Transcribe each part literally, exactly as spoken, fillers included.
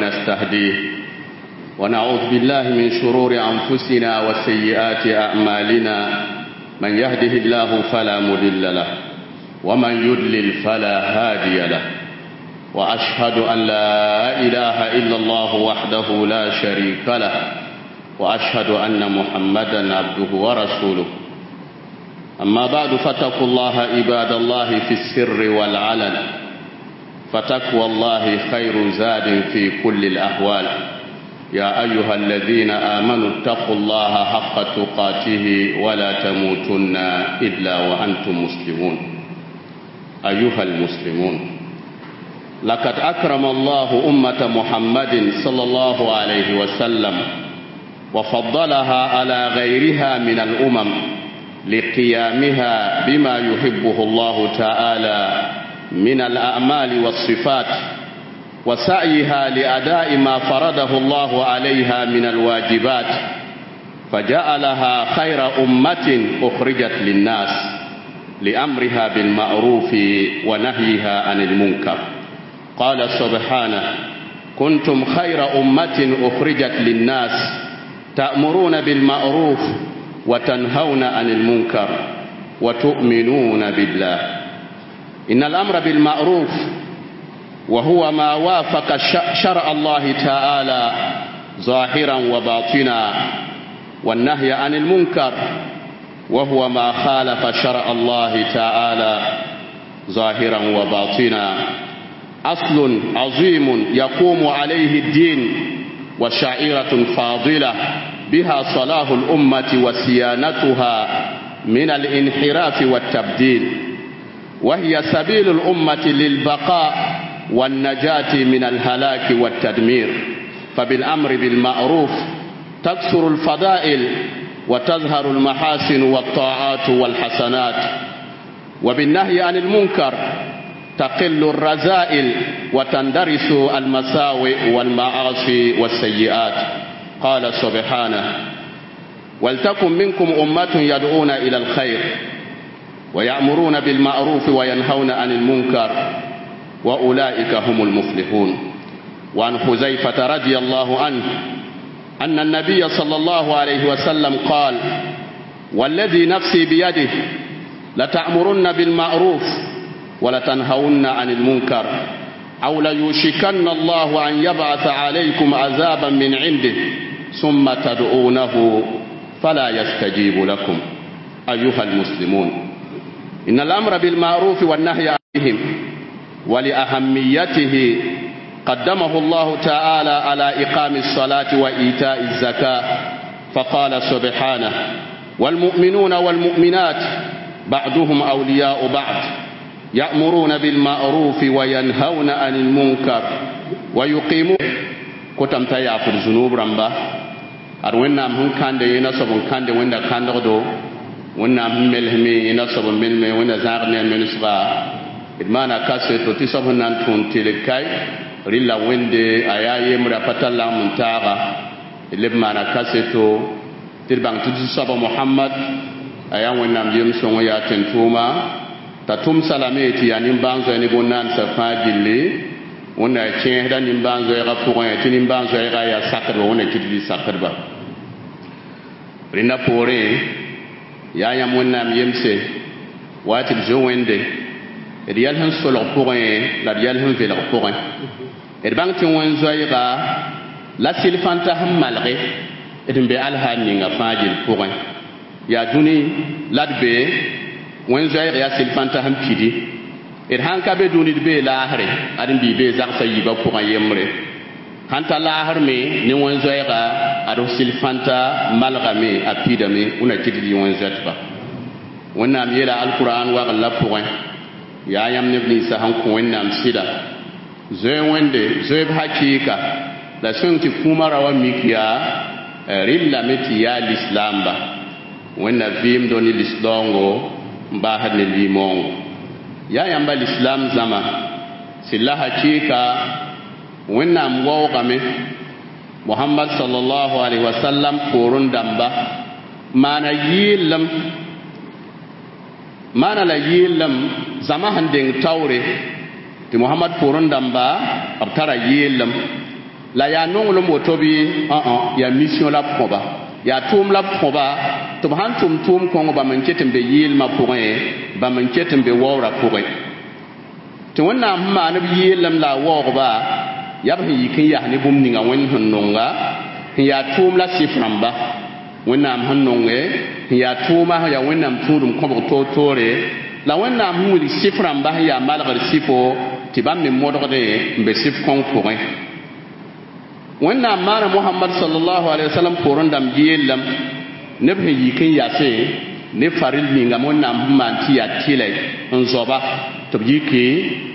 ونستهديه ونعوذ بالله من شرور أنفسنا وسيئات أعمالنا من يهده الله فلا مضل له ومن يضلل فلا هادي له وأشهد أن لا إله إلا الله وحده لا شريك له وأشهد أن محمدا عبده ورسوله أما بعد فاتقوا الله عباد الله في السر والعلن فتقوى الله خير زاد في كل الأحوال يا أيها الذين آمنوا اتقوا الله حق تقاته ولا تموتن إلا وأنتم مسلمون أيها المسلمون لقد أكرم الله أمة محمد صلى الله عليه وسلم وفضلها على غيرها من الأمم لقيامها بما يحبه الله تعالى من الأعمال والصفات وسعيها لأداء ما فرضه الله عليها من الواجبات فجعلها خير أمة أخرجت للناس لأمرها بالمعروف ونهيها عن المنكر قال سبحانه كنتم خير أمة أخرجت للناس تأمرون بالمعروف وتنهون عن المنكر وتؤمنون بالله إن الأمر بالمعروف وهو ما وافق شرع الله تعالى ظاهرا وباطنا والنهي عن المنكر وهو ما خالف شرع الله تعالى ظاهرا وباطنا أصل عظيم يقوم عليه الدين وشعيرة فاضلة بها صلاح الأمة وصيانتها من الانحراف والتبديل وهي سبيل الأمة للبقاء والنجاة من الهلاك والتدمير فبالأمر بالمعروف تكثر الفضائل وتظهر المحاسن والطاعات والحسنات وبالنهي عن المنكر تقل الرذائل وتندرس المساوئ والمعاصي والسيئات قال سبحانه ولتكن منكم أمة يدعون إلى الخير ويأمرون بالمعروف وينهون عن المنكر وأولئك هم المفلحون وعن حذيفة رضي الله عنه أن النبي صلى الله عليه وسلم قال والذي نفسي بيده لتأمرن بالمعروف ولتنهون عن المنكر أو ليوشكن الله أن يبعث عليكم عذابا من عنده ثم تدعونه فلا يستجيب لكم أيها المسلمون إن الأمر بالمعروف والنهي عنهم ولأهميته قدمه الله تعالى على إقام الصلاة وإيتاء الزكاة فقال سبحانه والمؤمنون والمؤمنات بعضهم أولياء بعض يأمرون بالمعروف وينهون عن المنكر ويقيمون kotam t'a yaafd zunub rãmba ad wẽnnaam sẽn kãnde yẽna soab n kãnde wẽnda kãndgdo wẽnnaam sẽn melsme yẽna soab n melme wẽnda zãag ne a melsga d maana kaseto tɩ soab sẽn na n tũud tɩlg kae rɩla wẽnde a yaa yembrã pa tar lagem n taaga d leb maana kaseto tɩ d bãng tɩ zu-soaba mohamad a yaa wẽnnaam yem-sõng yaa tẽn-tʋʋma t'a tʋmsa lame tɩ yaa nimbãan-zoɛ ne bõn-naandsã fãa gilli wẽnna kẽesda nimbãan-zoɛɛgã pʋgẽ tɩ nimbãan-zoɛɛga yaa sakdba wẽnna kɩt bɩ sakdba rẽnda poorẽ yaa yãmb wẽnnaam yemse wa tɩ d zoe wẽnde d yɛl sẽn solg pʋgẽ la d yɛl sẽn velg pʋgẽ d bãng tɩ wẽn-zoɛɛga la sɩl-fãnta sẽn malge d n be alhaal ninga fãa gill pʋgẽ yaa dũni la d be wẽn-zoɛɛg yaa sɩl-fãnta sẽn pidi d sãn ka be dũni d bee laasre ad n bii bee zagsã yiibã pʋgẽ yembre sãn ta laasr me ne wẽn-zoɛɛga ad sɩl-fãnta malgame a pidame wẽna kɩt bɩ wẽn-zoɛtba wẽnnaam yeela alkuraan wagl la pʋgẽ yaa yãmb neb ninsã sẽn kõ wẽnnaam sɩda zoe wẽnde zoeeb hakɩɩka la sõng tɩ kũumã ra wa mik yaa rɩllame tɩ yaa lislaamba wẽnna vɩɩmdo ne lislaoongo n baasd ne limoongo yaa yãmba lislaam zãma sɩlla hakɩɩka wẽnnaam waoogame mohamad salallahu alaihi wasallam poorẽ dãmba maana yɩɩlem maana la yɩɩlem zãma sẽn deng taoore tɩ mohamad poorẽ dãmba b tara yɩɩlem La yaa nonglem woto bɩ ã yaa mission la b kõba, yaa tʋʋm la b kõba tɩ b sãn tʋm tʋʋm kõng bãmb n ket n be yɩɩlmã pʋgẽ, bãmb n ket n be waoorã pʋgẽ tɩ Wẽnnaam sẽn maan b yɩɩlem la a waoogba yaa b sẽn yik n yas ne bũmb ninga Wẽnd sẽn nonga sẽn yaa tʋʋm la sɩf rãmba. Wẽnnaam sẽn nonge sẽn yaa tʋʋma sẽn yaa Wẽnnaam tũudum kõbg toor-toore la Wẽnnaam sẽn wilg sɩf rãmba sẽn yaa malgr sɩfo tɩ bãmb me modgdẽ n be sɩf kõng pʋgẽ. Wẽnnaam maana Mohamad sallallahu alaihi wasallam poorẽ dãmb yeellem neb sẽn yik n yasẽ ne faril ninga Wẽnnaam sẽn maan tɩ yaa tɩlɛ n zoaba tɩ b yiki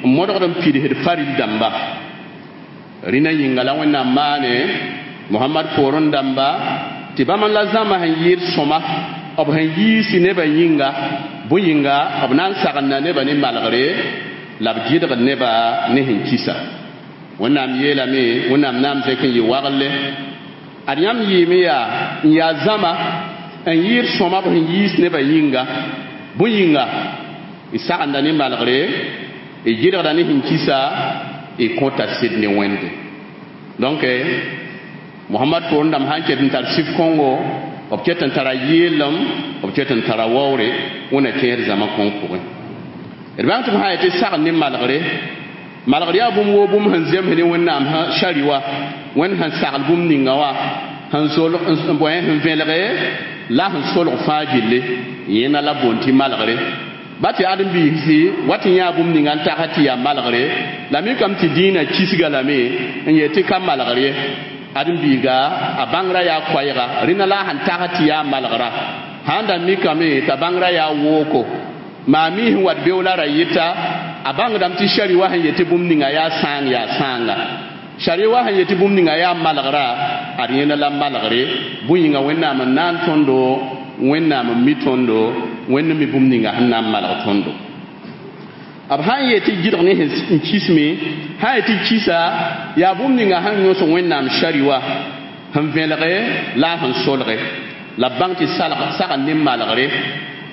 n modgd n pidsd faril dãmba. Rĩna yĩnga la Wẽnnaam maane Mohamad poorẽ dãmba tɩ bãmb n la zãma sẽn yɩɩd sõma b sẽn yiisi nebã yĩnga bõe yĩnga b na n sagenda nebã ne malgre la b gɩdgd nebã ne sẽn kisa. Wẽnnaam yeelame Wẽnnaam naam zẽk n yɩ wagle ad yãmb yɩɩme yaa n yaa zãma n yɩɩd sõma b sẽn yiis nebã yĩnga bõe yĩnga y sagenda ne malgre y gɩdgda ne sẽn kisa y kõta sɩd ne Wẽnde. Donc Mohamad poorẽ dãmb sãn ket n tar sɩf kõngo b ket n tara yɩɩlem b ket n tara waoore Wẽnna tẽed zãma kõng pʋgẽ. D bãng tɩ b sã yetɩ sagn ne malgre malgr yaa bũmb woo bũmb sẽn zems ne Wẽnnaam sari wa Wẽnd sẽn sagl bũmb ninga wã sẽn solg bõe sẽn vẽlge la sẽn solg fãa gilli yẽna la boond tɩ malgre ba tɩ ãdem-biisi wa tɩ yãa bũmb ninga n tagsa tɩ yaa malgre la mikame tɩ dĩinã kisga lame n yet tɩ ka malgr ye ãdem-biiga a bãngrã yaa koɛɛga rẽna la a sẽn tags tɩ yaa malgra sãn da mikame t'a bãngrã yaa wooko maa mi sẽn wat beoola ra yɩta a bãngdame tɩ sari wa sẽn yetɩ bũmb ninga yaa sãang yaa sãanga sari wa sẽn yetɩ bũmb ninga yaa malgra ad yẽna la malgre bõe yĩnga Wẽnnaam n na n tõndo Wẽnnaam n mi tõndo Wẽnd mi bũmb ninga sẽn na n malg tõndo. B sãn yetɩ gɩdg ne sẽn kisme sã yetɩ kisa yaa bũmb ninga sẽn yõs Wẽnnaam sari wa sẽn vẽlge la a sẽn solge la b bãng tɩ sagn ne malgre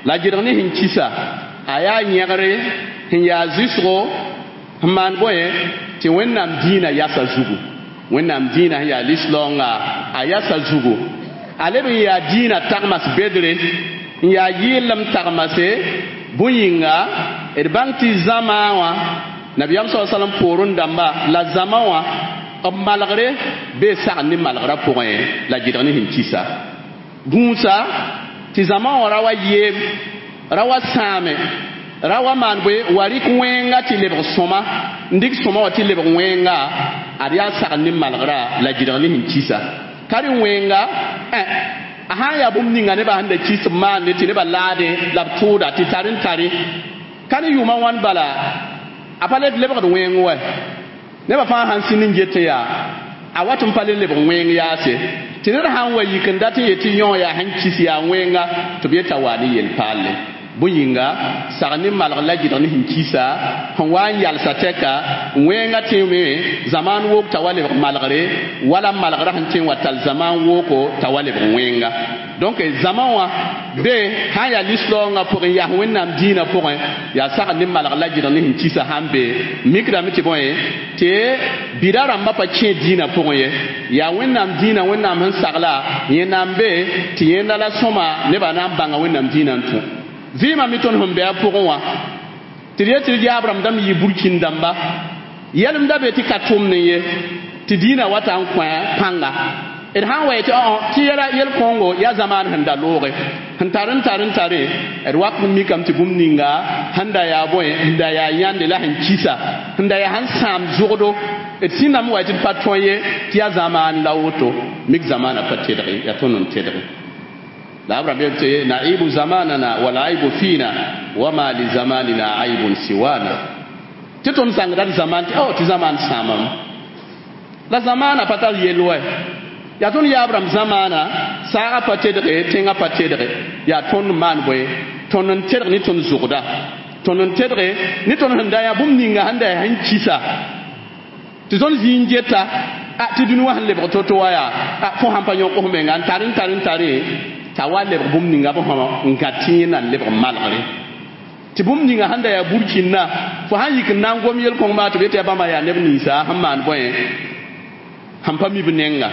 la gɩdg ne sẽn kisa a yaa yẽgre sẽn yaa zɩsgo sẽn maan bõe tɩ Wẽnnaam dĩinã yasa zugu Wẽnnaam dĩinã sẽn yaa lislaoongã a yasa zugu a leb n yaa dĩinã tagmas bedre n yaa yɩɩlem tagmase bõe yĩnga d bãng tɩ zãma wã nabiyaam sa salam poorẽ dãmba la zãma wã b malgre bee sagn ne malgrã pʋgẽ la gɩdg ne sẽn kisa gũusa tɩ zãma wã ra wa yeem ra wa sãame ra wa maan bõe wa rɩk wẽnga tɩ lebg sõma n dɩk sõma wã tɩ lebg wẽnga ad yaa sagn ne malgrã la gɩdg ne sẽn kisa ka rẽ wẽnga a sãn yaa bũmb ninga nebã sẽn da kis b maande tɩ nebã laade la b tʋʋda tɩ tar n tare ka ne yʋʋmã wãn bala a pa le lebgd wẽng wɛ nebã fãa sãn sĩnd n get n yaa a wat n pa le lebg wẽng yaase tɩ ned sãn wa yik n dat n yet tɩ yõ yaa sẽn kis yaa wẽnga tɩ b yeta waa ne yel-paalle bõe yĩnga sag ne malg la gɩdg ne sẽn kisa sẽn wa n yalsa tɛka wẽnga tẽeme zamaan wook t'a wa lebg malgre wala malgrã sẽn tẽ n wa tall zamaan wooko t'a wa lebg wẽnga. Donc zãma wã be sãn yaa lislaoongã pʋgẽ yaa Wẽnnaam dĩinã pʋgẽ yaa sagn ne malg la gɩdg ne sẽn kisa sãn be mikdame tɩ bõe tɩ bida rãmbã pa kẽ dĩinã pʋgẽ ye yaa Wẽnnaam dĩinã Wẽnnaam sẽn sagla yẽnnaam be tɩ yẽnda la sõma nebã na n bãnga Wẽnnaam dĩinã n tũ vɩɩmã me tõnd sẽn be a pʋgẽ wã tɩ d yet tɩ d yaab rãmb dãmb yɩ burkĩn dãmba yɛlemda be tɩ ka tʋmdẽ ye tɩ dĩinã wata n kõ pãnga d sãn wa yetɩ tɩ yɛla yel-kõngo yaa zamaan sẽn da looge sẽn tar n tar n tare d wak n mikame tɩ bũmb ninga sẽn da yaa bõe sẽn da yaa yãnde la sẽn kisa sẽn da yaa sẽn sãam zʋgdo d sĩndame wa tɩ d pa tõe ye tɩ yaa zamaan la woto mik zamaana pa tedge yaa tõnd n tedge la abraham yel naibu zamanana wal aibu fina wama li zamanina aibun siwana tɩ tõnd zãngda d zaman tɩ o tɩ zamaan sãamame la zamaana pa tar yel wɛ yaa tõnd yaab rãmb zamaana saagã pa tedge tẽngã pa tedge yaa tõnd maan bõe tõnd n tedg ne tõnd zʋgda tõnd n tedge ne tõnd sẽn da yaa bũmb ninga sẽn da yaa sẽn kisa tɩ tõnd zĩig n geta a tɩ dũni wã sẽn lebg to-to wa yaa a fo sãn pa yõk f menga n tar n tar n tare t'a wa lebg bũmb ninga b sõma n gã tɩ yẽ na n lebg malgre tɩ bũmb ninga sẽn da yaa burkĩnna fo sãn yik n na n gom yel-kõng maa tɩ b yetɩ yaa bãmba yaa neb ninsa sẽn maan bõe Sẽn pa mi b nenga.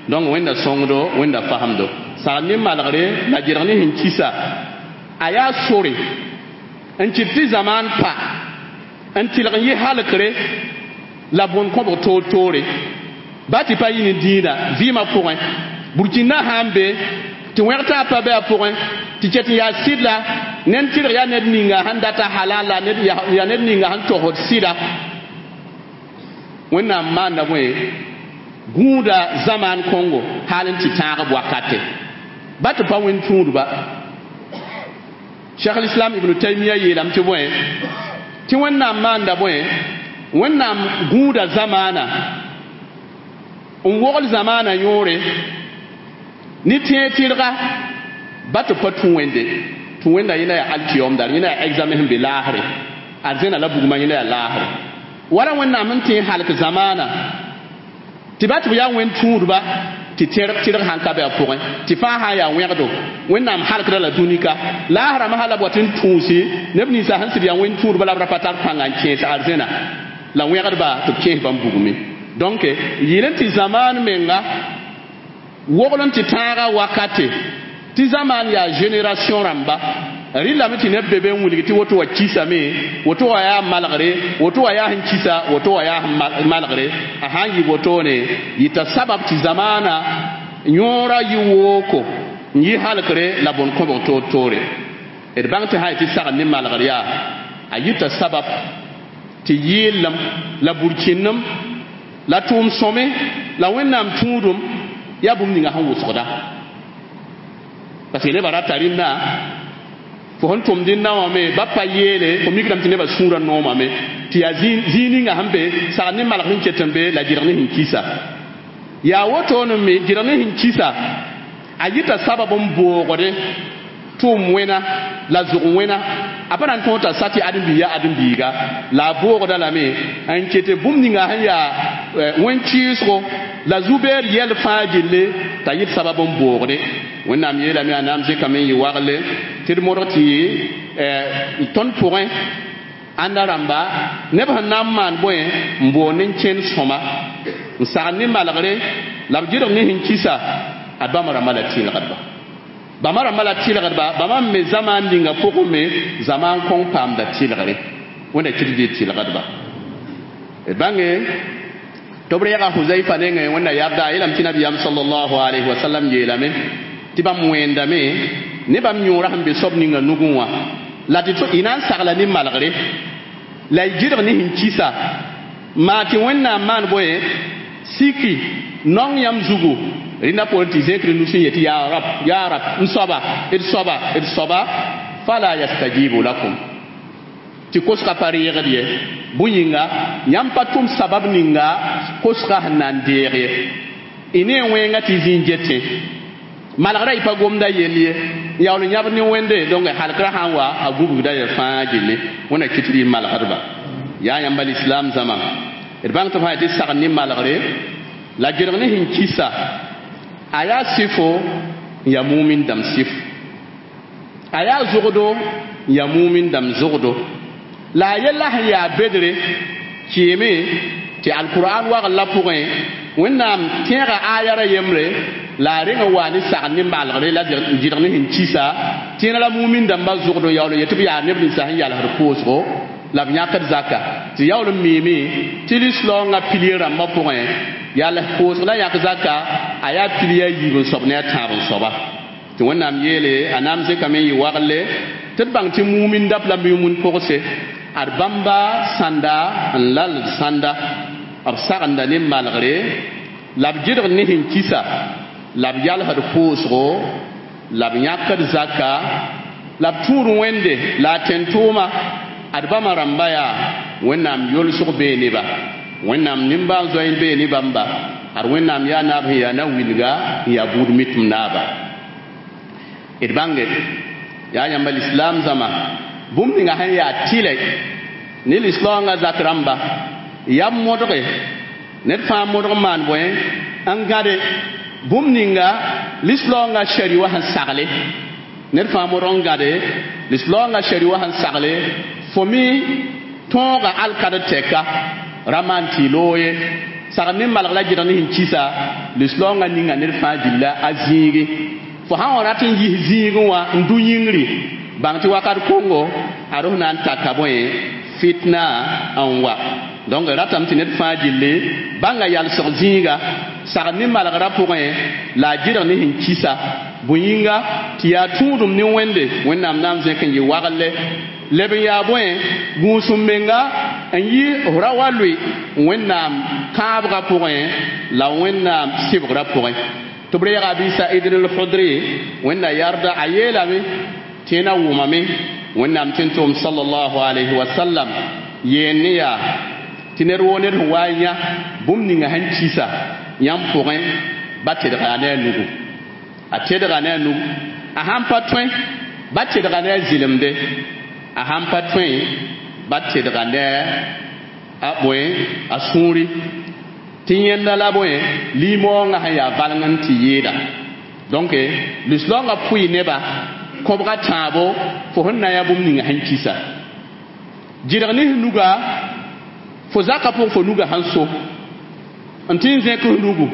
Donc Wẽnda sõngdo, Wẽnda fasemdo sagl ne malgre la gerg ne sẽn kisa a yaa sore n kɩt tɩ zamaan pa n tɩlg n yɩ halkre la bõn kõbg toor toore ba tɩ pa yɩ ne dĩinã vɩɩmã pʋgẽ burkina sã n be tɩ wẽg taab pa be a pʋgẽ tɩ ket n yaa sɩd la ned tɩrg yaa ned ninga sẽn data halal la yaa ned ninga sẽn togsd sɩda Wẽnnaam maanda bõe gũuda zamaan kõngo hal n tɩ tãag b wakate ba tɩ pa wẽnd tũudba. Cheikh l'Islam Ibn Taymiya yeelame tɩ bõe tɩ Wẽnnaam maanda bõe Wẽnnaam gũuda zamaana n wogl zamaana yõore ne tẽeg tɩrga ba tɩ pa tũ Wẽnde tũ Wẽnda yẽnda yaa alkiyom dar yẽnda yaa examen sẽn be laasre arzẽna la bugmã yẽnda yaa laasre wala Wẽnnaam sẽn tẽ halk zamaana tɩ ba tɩ b yaa wẽnd tũudba tɩ tẽrg tɩrg sãn ka be a pʋgẽ tɩ fãa sã n yaa wẽgdo Wẽnnaam halkda la dũnika laasrãmã sã la b wat n tũusi neb ninsã sẽn sɩd yaa wẽnd tũudba la b ra pa tar pãnga n kẽes arzẽna la wẽgdba tɩ b kẽes bãmb bugme. Donc yɩl n tɩ zamaan menga wogl n tɩ tãaga wakate tɩ zamaan yaa génération rãmba rɩlame tɩ neb be be n wilg tɩ woto wa kisame woto wa yaa malgre woto wa yaa sẽn kisa woto wa yaa sẽn malgre a sã n yɩ wotone yɩta sabab tɩ zamaana yõora yɩ wooko n yɩ halkre la bõn kõbg toor toore d bãng tɩ sã tɩ sagl ne malgr yaa a yɩta sabab tɩ yɩɩlem la burkĩndem la tʋʋm sõme la Wẽnnaam tũudum yaa bũmb ninga sẽn wʋsgda parce que nebã rata rẽnda fo sẽn tʋmd dẽnna wã me ba pa yeele fo mikdame tɩ nebã sũurã noomame tɩ yaa zĩig ninga sẽn be sagl ne malg sẽn ket n be la gɩrg ne sẽn kisa yaa wotone me gɩrg ne sẽn kisa a yɩta sabab n boogde tʋʋm wẽna la zʋg wẽna a pa na n tõog t'a sa tɩ ãdem-biig yaa ãdem-biiga la a boogda lame n ket bũmb ninga sẽn yaa wẽn-kɩɩsgo la zu-beed yɛl fãa gilli t'a yɩt sabab n boogde. Wẽnnaam yeelame a naam zẽkame n yɩ wagle tɩ d modg tɩ tõnd pʋgẽ ãnda rãmba neb sẽn na n maan bõe n boond n kẽnd sõma n sagl ne malgre la b gɩrg ne sẽn kisa ad bãmb rãmbã la tɩlgdba bãmba rãmbã la tɩlgdba bãmba me zamaan ninga pʋgẽ me zamaan kõng paamda tɩlgre Wẽnda kɩt dɩ tɩlgdba d bãnge tɩ b reega Huzaifa nengẽ Wẽnda yabda a yeelame tɩ nabiyaam sallallahu alayhi wa sallam yeelame tɩ bãmb wẽendame ne bãmb yõora sẽn be soab ninga nugẽ wã la tɩ y na n sagla ne malgre la y gɩrg ne sẽn kisa maa tɩ Wẽnnaam maan bõe siki nong yãmb zugu rẽnda poorẽ tɩ zẽkr nus n yetɩ yaa rab yaa rab n soaba d soaba d soaba fala yastajibu lakum tɩ kosga pa reegd ye bõe yĩnga yãmb pa tʋm sabab ninga kosga sẽn na n deeg ye y ne wẽnga tɩ zĩ n getẽ malgrã y pa gomda yell ye n yaool n yãbd ne Wẽnde donc halkrã sã n wa a gubgda ya fãa gilli Wẽnna kɩt rɩ malgdba yaa yãmba lislaam zãma d bãng tɩ fãa tɩ sagl ne malgre la gɩrg ne sẽn kisa a yaa sɩfo n yaa mumin dãmb sɩf a yaa zʋgdo n yaa mumin dãmb zʋgdo la a yella sẽn yaa bedre kɩɩme tɩ alkur'an wagl la pʋgẽ Wẽnnaam tẽega ayara yembre la a reng n waa ne sagl ne malgre la gɩrg ne sẽn kisa tẽena la mumin dãmbã zʋgd n yaool n yetɩ b yaa neb ninsã sẽn yalsd koosgo la b yãkd zaka tɩ yaool n miime tɩ lislaoongã pilie rãmbã pʋgẽ yals koosg la yãk zaka a yaa pilie a yiib n soab ne a tãab n soaba tɩ Wẽnnaam yeele a naam zẽkame n yɩ wagle tɩ d bãng tɩ mumin dap la mumin pʋgse ad bãmba sãnda n lald sãnda b sagenda ne malgre la b gɩrg ne sẽn kisa la b yalsd koosgo la b yãkd zaka la b tũud Wẽnde la a tẽn-tʋʋma ad bãmba rãmba yaa Wẽnnaam yolsg bee neba Wẽnnaam nimbãan-zoe n bee ne bãmba ad Wẽnnaam yaa naab sẽn yaa na wilga n yaa buud mitm naaba d bãnge yaa yãmba lislaam zãma bũmb ninga sẽn yaa tɩlɛ ne lislaoongã zak rãmba yam modge ned fãa modg n maan bõe n gãde bũmb ninga lislaoongã shari wã sẽn sagle ned fãa modg n gãde lislaoongã shari wã sẽn sagle fo me tõoga alkad tɛka ra maan tɩ y loog ye Sagd ne malg la gɩdg ne sẽn kisa lislaoongã ninga ned fãa gilla a zĩigi fo sã n wa rat n yis zĩigẽ wã n dũ yĩngri bãng tɩ wakat kongo ad f na n taka bõe fitna n wa. Donc ratame tɩ ned fãa gilli bãnga yalsg zĩiga sagd ne malgrã pʋgẽ la a gɩdg ne sẽn kisa bõe yĩnga tɩ yaa tũudum ne wẽnde wẽnnaam na n zẽk n yɩ wagle leb n yaa bõe gũusum menga n yi f ra wa lʋɩ wẽnnaam kãabgã pʋgẽ la wẽnnaam sɩbgrã pʋgẽ tɩ b reega Abi Said al-Khudri wẽnna yarda a yeelame tɩ yẽ na wʋmame wẽnnaam tɩ n tʋm sallallahu alayhi wa sallam yeen ne yaa tɩ ned woo ned sẽn wa n yã bũmb ninga sẽn kisa yãmb pʋgẽ ba tedga ne a nugu a tedga ne a nugu a sãn pa tõe ba tedga ne a zɩlemde a sãn pa tõe ba tedga ne a bõe a sũuri tɩ yẽnda la bõe limoongã sẽn yaa valeng n tɩ yɩɩda donc lislaoongã pʋɩ neba kõbga tãabo fo sẽn na n yã bũmb ninga sẽn kisa gɩdg ne f nuga fo zaka pʋg fo nuga sẽn so n tɩ n zẽk f nugu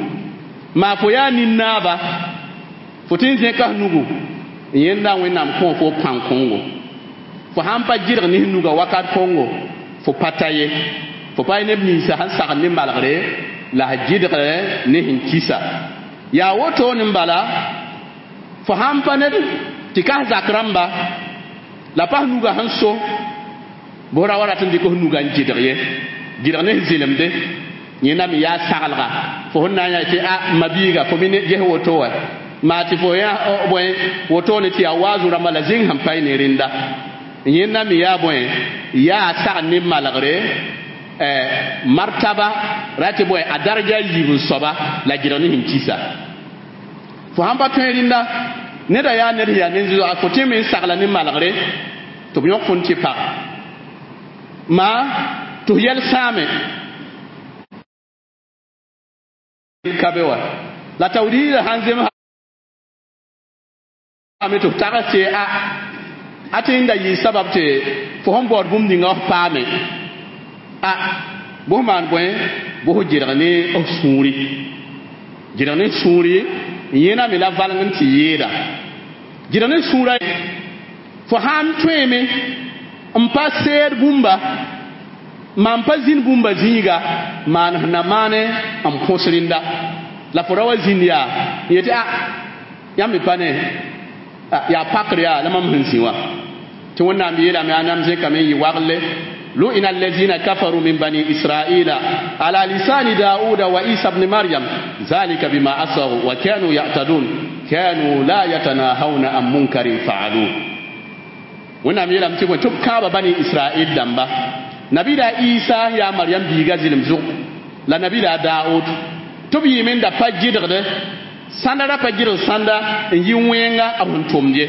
maa fo yaa nin-naaba fo tɩ n zẽka f nugu n yẽnda wẽnnaam kõ fo pãng kõngo fo sãn pa gɩdg ne f nuga wakat kongo fo pa ta ye fo pa neb ninsã sẽn sagd ne malgre la s gɩdg ne sẽn kisa yaa wotone n bala fo sãn pa ned tɩ ka zak rãmba la pa nuga sẽn so bʋ ra wa rat n dɩk f nuga n gɩdg ye gɩdg ne zɩlemde yẽnda me yaa saglga fo sẽn na n yaa tɩ a mabiiga fo me ges woto wa maa tɩ fo yã bõe wotone tɩ yaa waazu rãmba la zĩng sẽn pa ne rẽnda yẽnda me yaa bõe yaa sagd ne malgre martaba ra tɩ bõe a daraja yiib n soaba la gɩdg ne sẽn kisa fo sãn pa tõe rẽnda neda yaa ned sẽn yaa nen-zoa fo tɩ me n sagla ne malgre tɩ b yõk fo n tɩ pag maa tɩ f yɛl sãame ka be wa la tawriida sãn zems ame tɩ f tags tɩ a a tɩ n da yɩ sabab tɩ fo sẽn baood bũmb ninga f paame a bʋs maan bõe bʋs gɩdg ne f sũuri gɩdg ne sũuri yẽna me la valeng n tɩ yɩɩda gɩdg ne sũurã fo sãn tõeme n pa seed bũmba maan pa zĩnd bũmba zĩiga maan sẽn na maane n põs rẽnda la fo ra wa zĩnd yaa n yetɩ a yãmb me pa ne yaa pakr yaa la mam sẽn zĩ wã tɩ wẽnnaam yeelame a nam zẽkame n yɩ wagle لئن الذين كفروا من بني إسرائيل على لسان داود وعيسى بن مريم ذلك بما عصوا وكانوا يعتدون كانوا لا يتناهون عن منكر فعلوه wẽnnaam yeelame tɩ tɩ b kãaba bani israel dãmba nabida isa yaa mariam biiga zɩlem zʋg la nabida daood tɩ b yɩɩme n da pa gɩdgde sãnda ra pa gɩdg sãnda n yi wẽnga a sẽn tʋmd ye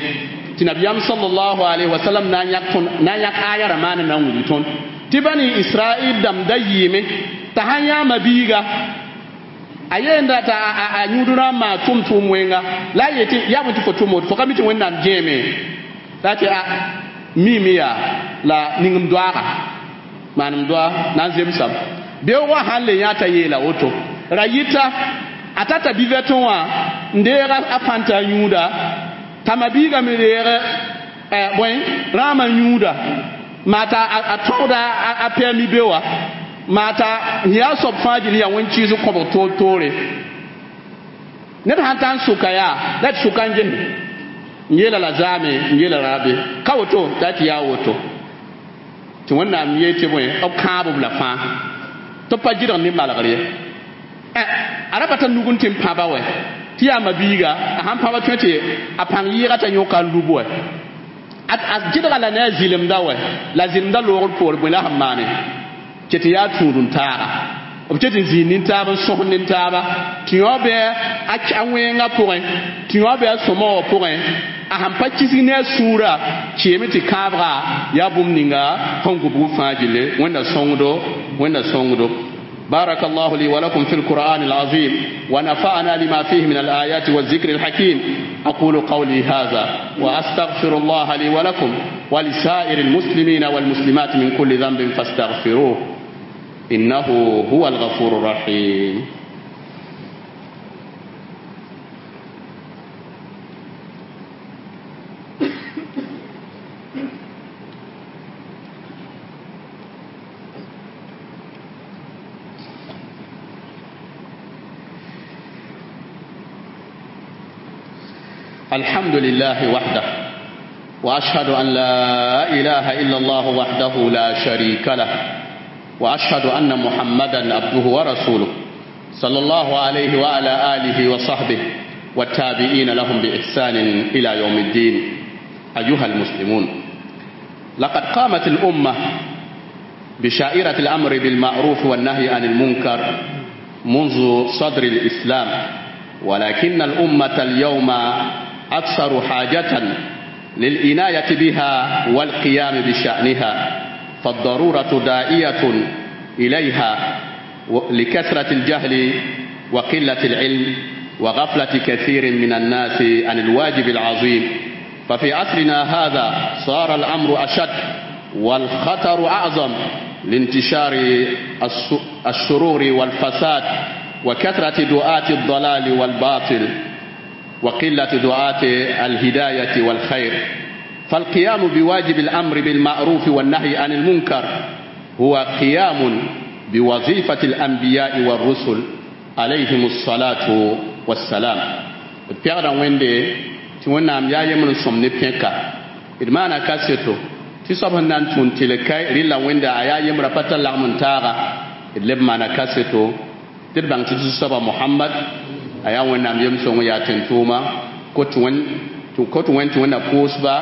tɩ nabiyaam sallallahu alaihi wasallam na n yãk na n yãk aya rã maana na n wilg tõnd tɩ bani israel dãmb da yɩɩme t'a sãn yãama biiga a yeenda t'a a yũud rã n maa tʋm tʋʋm wẽnga la a yetɩ yaa bõe tɩ fo tʋm woto fo ka mi tɩ wẽnnaam gẽeme la tɩ a miime yaa la ning m doaaga maan m doa na n zemsame beoogã sãn le yã t'a yeela woto ra yɩta a tata bivɛtẽ wã n deeg a fãnta a yũuda t'a mabiiga me reeg bõe rãamã yũuda maa t'a a tõgda a pɛɛmi be wa maa t'a yaa soab fãa gil yaa wẽn-kɩɩs kõbg toor toore ned sãn ta n sʋka yaa la d sʋka n ges n yeela la zaame n yeela rabe ka woto t'a tɩ yaa woto tɩ wẽnnaam yee tɩ bõe b kãab-b la fãa tɩ b pa gɩdg ne malgr ye a ra pa tar nug n tɩ n pãba wɛ tɩ yaa mabiiga a sãn pãba tõe tɩ a pãng yɩɩga t'a yõka n lub wɛ a gɩdga la ne a zɩlemda wɛ la zɩlemda loogr poor bõe la sẽn maane ket n yaa tũud n taaga b ket n zĩig nin-taab n sõs nin-taaba tɩ yõ bɩ a wẽngã pʋgẽ tɩ yõ bɩ a sõma wã pʋgẽ a sãn pa kisg ne a sũurã keeme tɩ kãabga yaa bũmb ninga sẽn gubg fãa gille wẽnda sõngdo wẽnda sõngdo بارك الله لي ولكم في القرآن العظيم ونفعنا لما فيه من الآيات والذكر الحكيم أقول قولي هذا وأستغفر الله لي ولكم ولسائر المسلمين والمسلمات من كل ذنب فاستغفروه إنه هو الغفور الرحيم. الحمد لله وحده، وأشهد أن لا إله إلا الله وحده لا شريك له، وأشهد أن محمدا عبده ورسوله صلى الله عليه وعلى آله وصحبه والتابعين لهم بإحسان إلى يوم الدين. أيها المسلمون، لقد قامت الأمة بشائرة الأمر بالمعروف والنهي عن المنكر منذ صدر الإسلام، ولكن الأمة اليوم أكثر حاجة للإناية بها والقيام بشأنها، فالضرورة داعية إليها لكثرة الجهل وقلة العلم وغفلة كثير من الناس عن الواجب العظيم. ففي عصرنا هذا صار الأمر أشد والخطر أعظم لانتشار الشرور والفساد وكثرة دعاة الضلال والباطل وقلة دعاة الهداية والخير. فالقيام بواجب الأمر بالمعروف والنهي عن المنكر هو قيام بوظيفة الأنبياء والرسل عليهم الصلاة والسلام. بيغدا ويندي تونام يا يمن سوم ني بينكا إدمانا كاسيتو تي صبح نان تون تلكاي ريلا ويندا أيا يمرا فتا لغمن تاغا إدلب مانا كاسيتو تدبان تي صبح محمد أيا وينام يمسون يا تنتوما كوت وين كوت وين تونا بوسبا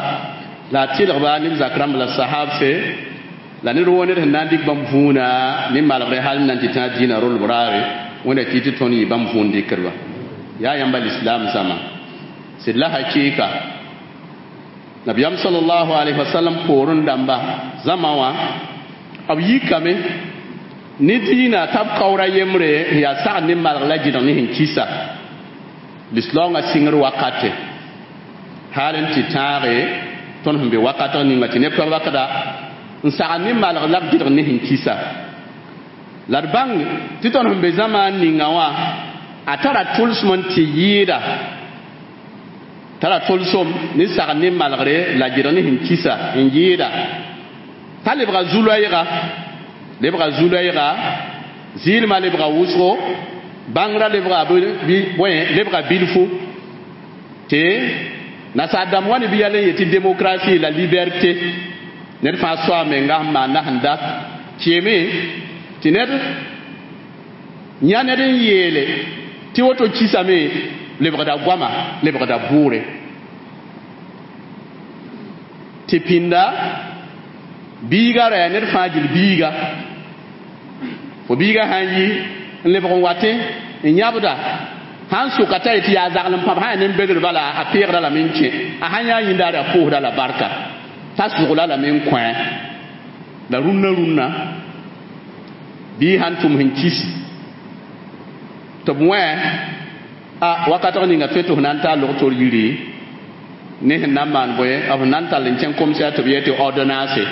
la tɩlgba neb zak rãmb la sahabse la ned woo ned sẽn na n dɩk bãmb vũuna ne malgre hal n na n tɩ tã dĩinã rolb raare wẽnda tɩ tɩ tõnd yɩ bãmb vũun dɩkdba yaa yãmba lislaam zãma sɩd la hakɩɩka nabiyam sallallahu alaihi wasallam poorẽ dãmba zãma wã b yikame ne dĩinã t'a b kaoora yembre n yaa sagd ne malg la gɩdg ne sẽn kisa lislaoongã sɩngr wakate hal n tɩ tãage tõnd sẽn be wakatg ninga tɩ neb pa bakda n sagd ne malg la b gɩdg ne sẽn kisa la d bãng tɩ tõnd sẽn be zãmaan ninga wã a tara tʋlsem n tɩ yɩɩda tara tʋlsem ne sagd ne malgre la gɩdg ne sẽn kisa n yɩɩda t'a lebga zu-loɛɛga lebga zu-loɛɛga zɩɩlmã lebga wʋsgo bãngrã lebga bõe lebga bilfu tɩ nasaar dãmb wa ne bɩ yɛl n yetɩ démocratie la liberté ned fãa soa menga sẽn maan na sẽn dat kɩɩme tɩ ned yã ned n yeele tɩ woto kisame lebgda goama lebgda bʋʋre tɩ pĩnda biiga ra ned fãa gil biiga fo biiga sã n yi n lebg n watẽ n yãbda sãn sʋka t'a yetɩ yaa zagl n pãb sã yaa nin-begr bala a peegda lame n kẽ a sãn yaa yĩndaare a pʋʋsda la barka t'a sʋgla lame n kõ la rũnnã rũnnã bii sãn tʋm sẽn kis tɩ b wẽ a wakatg ninga tõe tɩ f na n taa log-tor yiri ne sẽn na n maan bõe b sẽn na n tall n kẽng komsɛa tɩ b yee tɩ ordonnance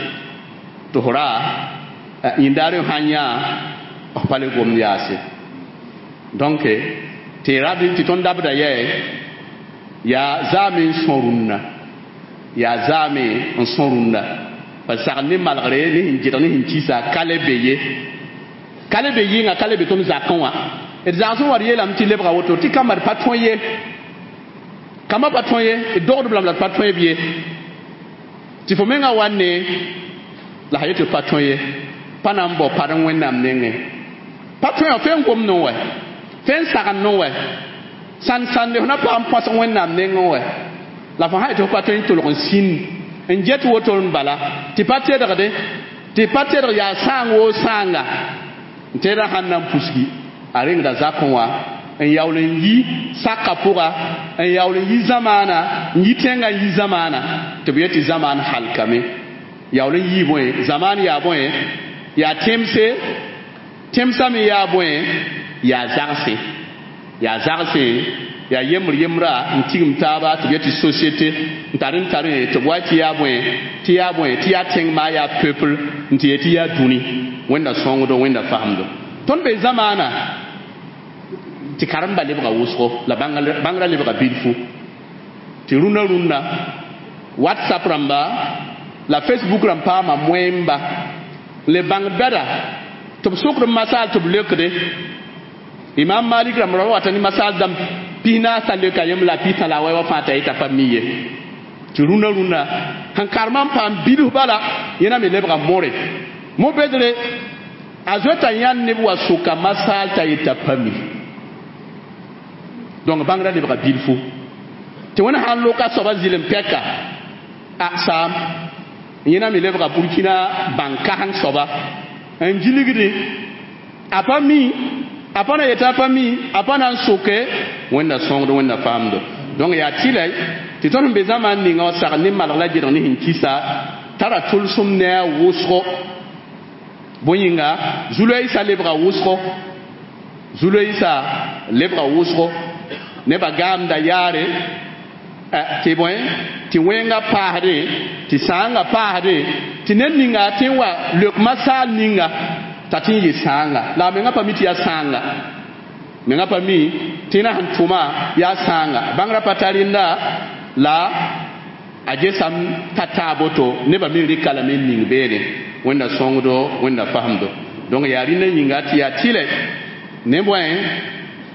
tɩ f ra yĩndaare sãn yã f pa le gomd yaase donc tɩ rab tɩ tõnd dabda yɛ yaa zaame n sõ rũnnã yaa zaame n sõ rũnnã pa sagl ne malgre ne sẽn gɩdg ne sẽn kisa ka le be ye ka le be yɩnga ka le be tõnd zakẽ wã d zagsẽ wa d yeelame tɩ lebga woto tɩ kamba d pa tõe ye kamba pa tõe ye d dogdb lame la d pa tõe b ye tɩ fo menga wa ne la sã yetɩ pa tõe ye pa na n bao pad n wẽnnaam nengẽ pa tõe wã fẽn gomdẽ wɛ fẽn sagend wɛ sãn sãnde f na pag n põsg wẽnnaam nengẽ wɛ la fo sã yetɩ fo pa tõe n tolg n sĩnd n get woto n bala tɩ pa tedgde tɩ pa tedg yaa sãang woo sãanga n teedã sãn na n pusgi a rengda zakẽ wã n yaool n yi saka pʋga n yaool n yi zamaana n yi tẽngã n yi zamaana tɩ b yetɩ zamaan halkame yaool n yii bõe zamaan yaa bõe yaa tẽmse tẽmsã me yaa bõe yaa zagse yaa zagse yaa yembr yembra n tigim taaba tɩ b yetɩ société n tar n tar tɩ b wa tɩ yaa bõe tɩ yaa bõe tɩ yaa tẽng maa yaa peuple n tɩ yetɩ yaa dũni wẽnda sõngdo wẽnda fasemdo tõnd be zamaana tɩ karemba lebga wʋsgo la bãngrã lebga bilfu tɩ rũnã rũnna whatsapp rãmba la facebook rãmb paama moẽmba le bãng bɛda tɩ b sokd n masaal tɩ b leokde imam malik rãmb ra wata ne masaal dãmb pis-naas t'a leoka yem la pis-tã la a wa fãa t'a yeta pa mi ye tɩ rũnã rũnna sẽn karemã n paam bilf bala yẽna me lebga more mo-bedre a zoeta yãnd neb wa soka masaal t'a yeta pa mi donc bãngrã lebga bilfu tɩ wẽnd sãn loka soaba zɩlem pɛka a saam yẽna me lebga burkina bãn-kãseng soaba n gilgde a pa mi a pa na yetɩ a pa mi a pa na n soke wẽnda sõngd wẽnda faamdo donc yaa tɩlɛ tɩ tõnd sẽn be zãmaan ninga wã sagl ne malg la gedg ne sẽn kisa tara tʋlsem ne a wʋsgo bõe yĩnga zu-loeesã lebga wʋsgo zu-loeesã lebga wʋsgo nebã gaamda yaare tɩ bõe tɩ wẽnga paasde tɩ sãanga paasde tɩ ned ninga tɩ n wa leok masaal ninga t'a tɩ n yɩ sãanga la a menga pa mi tɩ yaa sãanga menga pa mi tɩ na sẽn tʋma yaa sãanga bãngrã pa tar rẽnda la a gesam ta taa boto nebã me rɩka lame n ning beene wẽnda sõngdo wẽnda fasemdo donc yaa rĩndã yĩnga tɩ yaa tɩlɛ ne bõe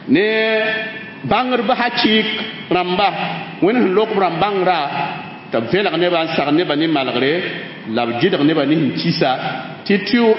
ne bãngdb hakɩɩk rãmba wẽnd sẽn lok b rãmb bãngrã tɩ b vẽlg nebã n sag nebã ne malgre la b gɩdg nebã ne sẽn kisa tɩ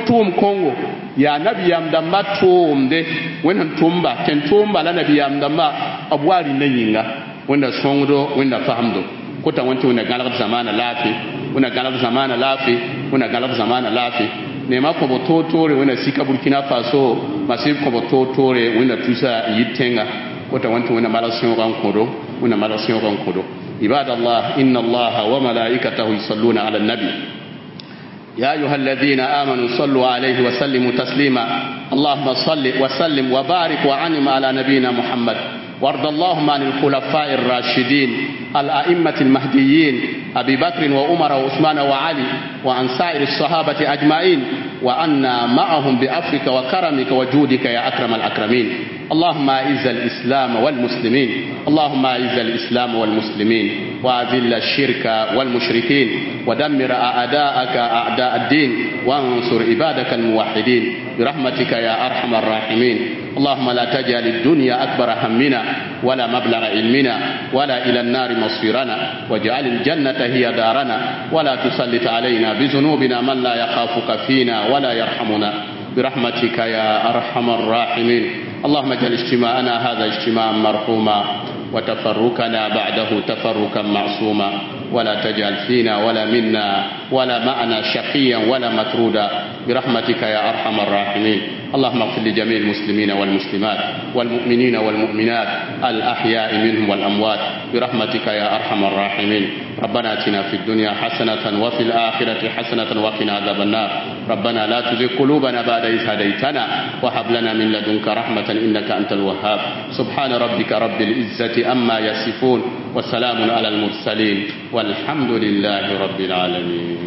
tʋʋm kõngo yaa nabiyaam dãmba tʋʋmde wẽnd sẽn tʋmba tẽn tʋʋmba la nabiyaam dãmba b wa rĩndã yĩnga wẽnda sõngdo wẽnda fasemdo kota wẽn tɩ wẽnda gãlgd zamaana laafɩ wẽnda gãlgd zamaana laafɩ wẽnda gãlgd zamaana laafɩ neema kõbo toor-toore wẽnda sika burkina faso masɩb kõbo toor-toore wẽnda tusa n yit tẽnga kota wẽn tɩ wẽnda malg sẽoogã n kõdo wẽnda malg sẽoogã n kõdo عباد الله إن الله وملائكته يصلون على النبي يا أيها الذين آمنوا صلوا عليه وسلموا تسليما اللهم صل وسلم وبارك وعنم على نبينا محمد وارض اللهم عن الخلفاء الراشدين الأئمة المهديين أبي بكر وعمر وعثمان وعلي وعن سائر الصحابة أجمعين وعنا معهم بعفوك وكرمك وجودك يا أكرم الأكرمين اللهم أعز الإسلام والمسلمين اللهم أعز الإسلام والمسلمين وأذل الشرك والمشركين ودمر أعداءك أعداء الدين وانصر عبادك الموحدين برحمتك يا أرحم الراحمين اللهم لا تجعل الدنيا أكبر همنا ولا مبلغ علمنا ولا إلى النار مصيرنا واجعل الجنة هي دارنا ولا تسلط علينا بذنوبنا من لا يخافك فينا ولا يرحمنا برحمتك يا أرحم الراحمين اللهم اجعل اجتماعنا هذا اجتماعا مرحوما وتفرقنا بعده تفرقا معصوما ولا تجعل فينا ولا منا ولا معنا شقيا ولا مطرودا برحمتك يا أرحم الراحمين اللهم اغفر لجميع المسلمين والمسلمات والمؤمنين والمؤمنات الأحياء منهم والأموات برحمتك يا أرحم الراحمين ربنا اتنا في الدنيا حسنة وفي الآخرة حسنة وقنا عذاب النار ربنا لا تزغ قلوبنا بعد إذ هديتنا وهب لنا من لدنك رحمة إنك أنت الوهاب سبحان ربك رب العزة أما يصفون وسلام على المرسلين والحمد لله رب العالمين.